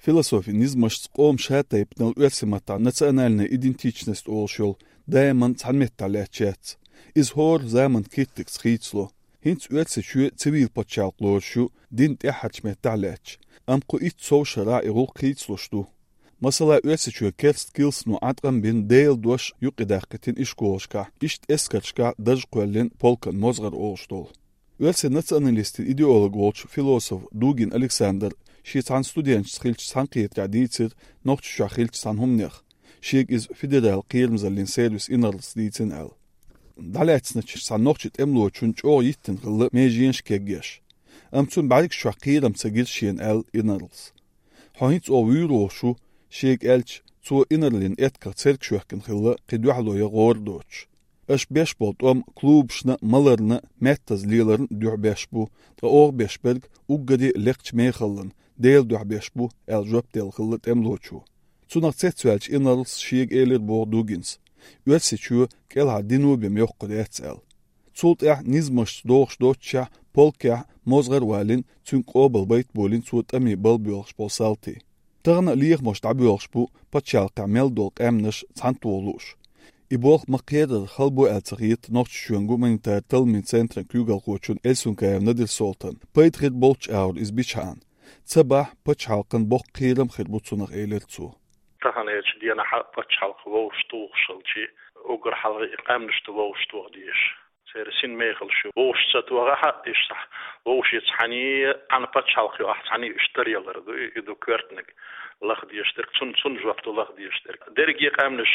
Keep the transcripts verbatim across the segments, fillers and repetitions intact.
Философин низамашца къоман шатайпанал оьрсийн маттахь национальная идентичность олуш йолу даиман цхьана меттехь лаьтташ яц. Иза хӀора заманан киртигца хийцало. ХӀинца Оьрсийчоь цивил пачхьалкх лоруш ю, динан тӀаьххьарчу меттехь лаьтташ, амма кху итт сов шарахь и гӀуллакх хийцалуш ду. Масала, Оьрсийчоь керста килсано Ӏаткъам бина Делан дош юкъадаккхийтина ишколашкахь, иштта эскаршкахь дарж кхоьллина полкан мозгӀар олуш долу. Оьрсийн националистийн идеолог волчу философ Дугин Александр шен цхьана студенташца хиллачу цхьаьнакхетарехь дийцира Нохчийчохь хиллачу цхьана хӀуманех, шега иза федералан кхерамзаллин сервисан инарлас дийцина аьлла. ДӀалаьцначу цхьана нохчийн тӀемалочунна чӀогӀа йиттина хилла меженаш кегъеш. Амма цунна бӀаьргаш чохь кхерам ца гира шена аьлла инарлас. Хьо хӀинца оха вуьйр волуш ву, шега аьлча, цо инарлин этках церг шоьхкина хилла кхин дуьхьало ян гӀора доцуш. Аша беш болу тӀом клубашна а, маларна а, маьттаза леларна а дуьхьа беш бу, ткъа оха беш берг уггаре а лекхачу мехаллан, Делан дуьхьа беш бу, аьлла жоп делла хилла тӀемалочо. Цунах цецваьллачу инарлас шега элира боху Дугинс, Оьрсийчоь кӀелхьара дино бен йоккхур яц аьлла. Цул тӀаьхьа низамашца догӀуш доццушехь, полкехь мозгӀар а валийна, цуьнга къобалбайта а болийна цо тӀаме бала боьлхуш болу салтий. Тахана а лехамаш дӀабоьлхуш бу пачхьалкхехь мел долу къаьмнаш цхьаьнатоха лууш. И болх ма-кхерара хала бу аьлла ца хета Нохчийчоьнан гуманитаран талламийн центран куьйгалхочунна Эльсункаев Надир-Солтанна. Пайда хир болчу агӀор иза бичхьана. Ца бахь, пачхьалкхан боккха кхерам а хир бу цунах, элира цо. Таханлерчу денахь пачхьалкх вовшахтухуш хилча, уггар хьалха и къаьмнаш ду вовшахтоха дезаш. Церан син мехалш ю вовшах ца тохахь а, иштта вовшахтухучу хенахь цхьаьна пачхьалкх ю ахь, цхьаьна уьш таръялар ду, и ду коьртаниг лаха дезаш дерг, цунна, цунна жоп ду лаха дезаш дерг. Дерриге къаьмнаш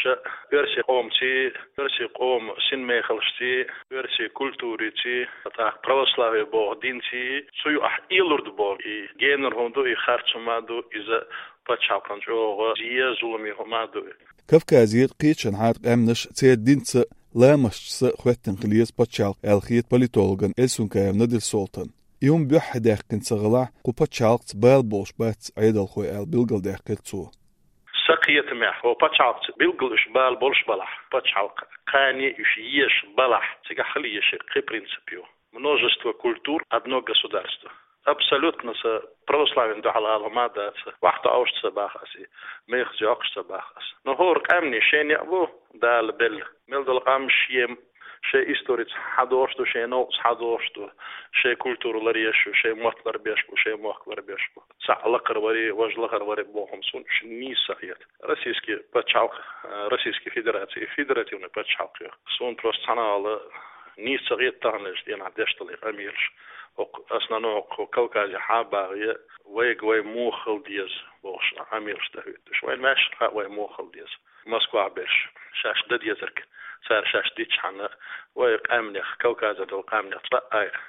оьрсийн къомаций, оьрсийн къоман син мехалшций, оьрсийн культураций, тӀаккха православие боху динций, цу юкъахь элур ду боху. И генара хӀума ду, и харц хӀума ду, иза пачхьалкхана чӀогӀа зе, зуламе хӀума ду. Кавказера кхечанхьара къаьмнаш церан динца а, ламасташца а хоьттина хила еза пачхьалкх аьлла хета политологна Эльсункаев Надир-Солтанна. И хӀума буьххье даьккхина ца хилахь, кху пачхьалкхца бала болуш бац Ӏедалхой аьлла билгалдаьккхира цо. Сан кхетамехь, хӀокху пачхьалкхца билггал уьш бала болуш балахь, пачхьалкх кхане уьш езаш балахь, цигахь хила езаш кхин принцип ю. Множество культур, одно государство. Абсолютно сан православина дуьхьал ала хӀума а дац, вахту Ӏовшуш ца боху ас и, мехаза йоккхуш ца боху ас. Но хӀора къаьмнийн шен некъ бу Дала белла. Мел долу къам шен, шен историца хьадогӀуш ду, шен новкъаца хьадогӀуш ду, шен культура ларъеш ю, шен мотт ларбеш бу, шен мохк ларбеш бу. Цхьаъ лакхара варе, важа лахара варе боху хӀума суна уьш нийса ца хета. Российский пачхьалкх, э, Российский Федерация, федеративный пачхьалкх ю. Суна просто цхьана а нийса ца хета таханлерчу денахь деш долу и къамелаш. ХӀокху основном хӀокху Кавказехь хьа а багӀе, вайга вай муха хила деза бохуш къамелаш дан хӀуьттуш. Вайна ваьшна хаьа вай муха хила деза. Москвахь берш шаьш дан дезарг, цара шаьш дитчхьана, вай къаьмнех, Кавказера долу къаьмнех цкъа а айхьа,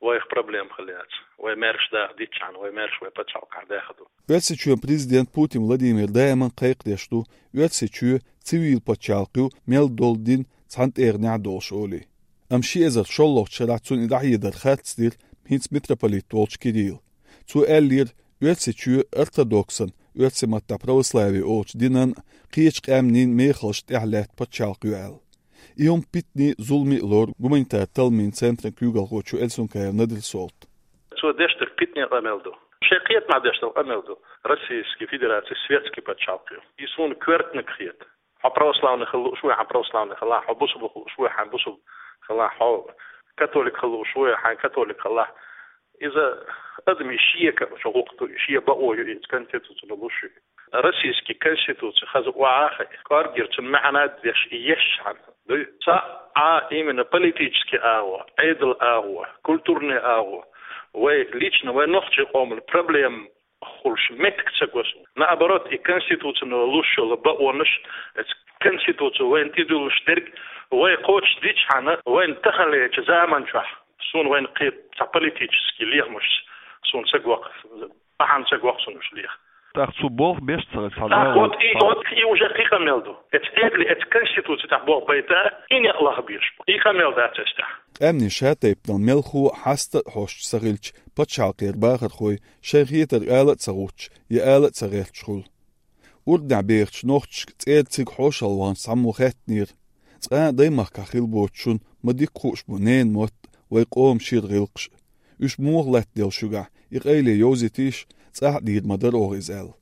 вайх проблема хила яц. Вай маьрша даха дитчхьана, вай маьрша вай пачхьалкхехь даьхна ду. Оьрсийчоьнан президент Путин Владимир даиман кхайкхадеш ду, Оьрсийчоь цивил пачхьалкх ю мел долу дин цхьана тӀегӀанехь а долуш олий. Амма ши эзар шолгӀачу шарахь цунна и дӀахьедар харц дира хӀинца митрополит волчу Кирилла. Цо аьллера, Оьрсийчоь ортодоксан, оьрсийн маттахь православие олучу динан, кхечу къаьмнийн мехалшна тӀехь лаьтта пачхьалкх ю аьлла. И хӀума питане а, зуламе а лору гуманитаран талламийн центран куьйгалхочо Эльсункаев Надир-Солтана. Цо деш дерг питане къамел ду. Шайн кхетамехь деш долу къамел ду. Российский Федерация светский пачхьалкх ю. И суна коьртаниг хета. Хьо православный хила лууш ву, хьан православный хилахь, хьо бусулба хила лууш ву, хьан бусулба хилахь, хьо католик хила лууш ву, хьан католик хилахь. Иза адамийн шеко чу гӀуллакх ду, шен бакъо ю иза конституцина луш ю. Российский конституция хаза охьа а хаьа, кӀоргера цуьнан маьӀна а деш, и езчхьана дуй. Цхьа а именно политический агӀо, Ӏедал агӀо, культурный агӀо, вай лично, вай нохчийн къоман проблема хуьлуш меттиг ца го суна. Наоборот, и конституцина луш йолу бакъонаш, эцу конституци вайна тӀедуьллуш дерг, вай кхочушдичхьана, вайна таханлерчу заман чохь, суна вайна кхин цхьа политический лехамаш суна ца го-кх, бахьана ца го-кх суна уьш леха. ТӀаккха цо болх беш ца хилча, цхьа... ТӀаккха вот и, вот и уже кхин къамел ду. Эцу Ӏедале, эцу конституци тӀехь болх байта, и некъ лаха безаш бу. И къамел дац эцу тӀехь. Къаьмнийн шатайпанал мелхо а, хьаста а хьоьстуш ца хилча, пачхьалкхера бахархой шайн хетарг ала а ца гӀуттуш, я ала а ца гӀерташ хуьлу. Урднехь бехачу нохчашка цӀера цига хьошалгӀанчу цхьаммо хаьттинера: «Цкъа а даймахкахь хилла боцучунна ма дика хууш бу ненан мотт а, вай къоман шира гӀиллакхаш а. Уьш муха латтаделла шуьгахь, и къайле йовзийтийша, цӀахь а дийр ма дара оха иза», — аьлла.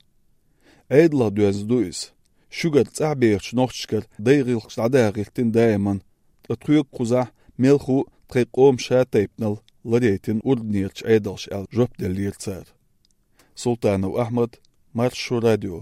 Ӏедалах доьзна ду иза. Шуьгара цӀахь бехачу нохчашкара дай гӀиллакхаш дӀадаха гӀиртина даиман, ткъа тхоьга кхузахь мелхо а тхайн къоман шатайпанал ларъяйтина урданерачу Ӏедалша аьлла жоп деллера цара. Султанов Ахьмад, Маршо радио.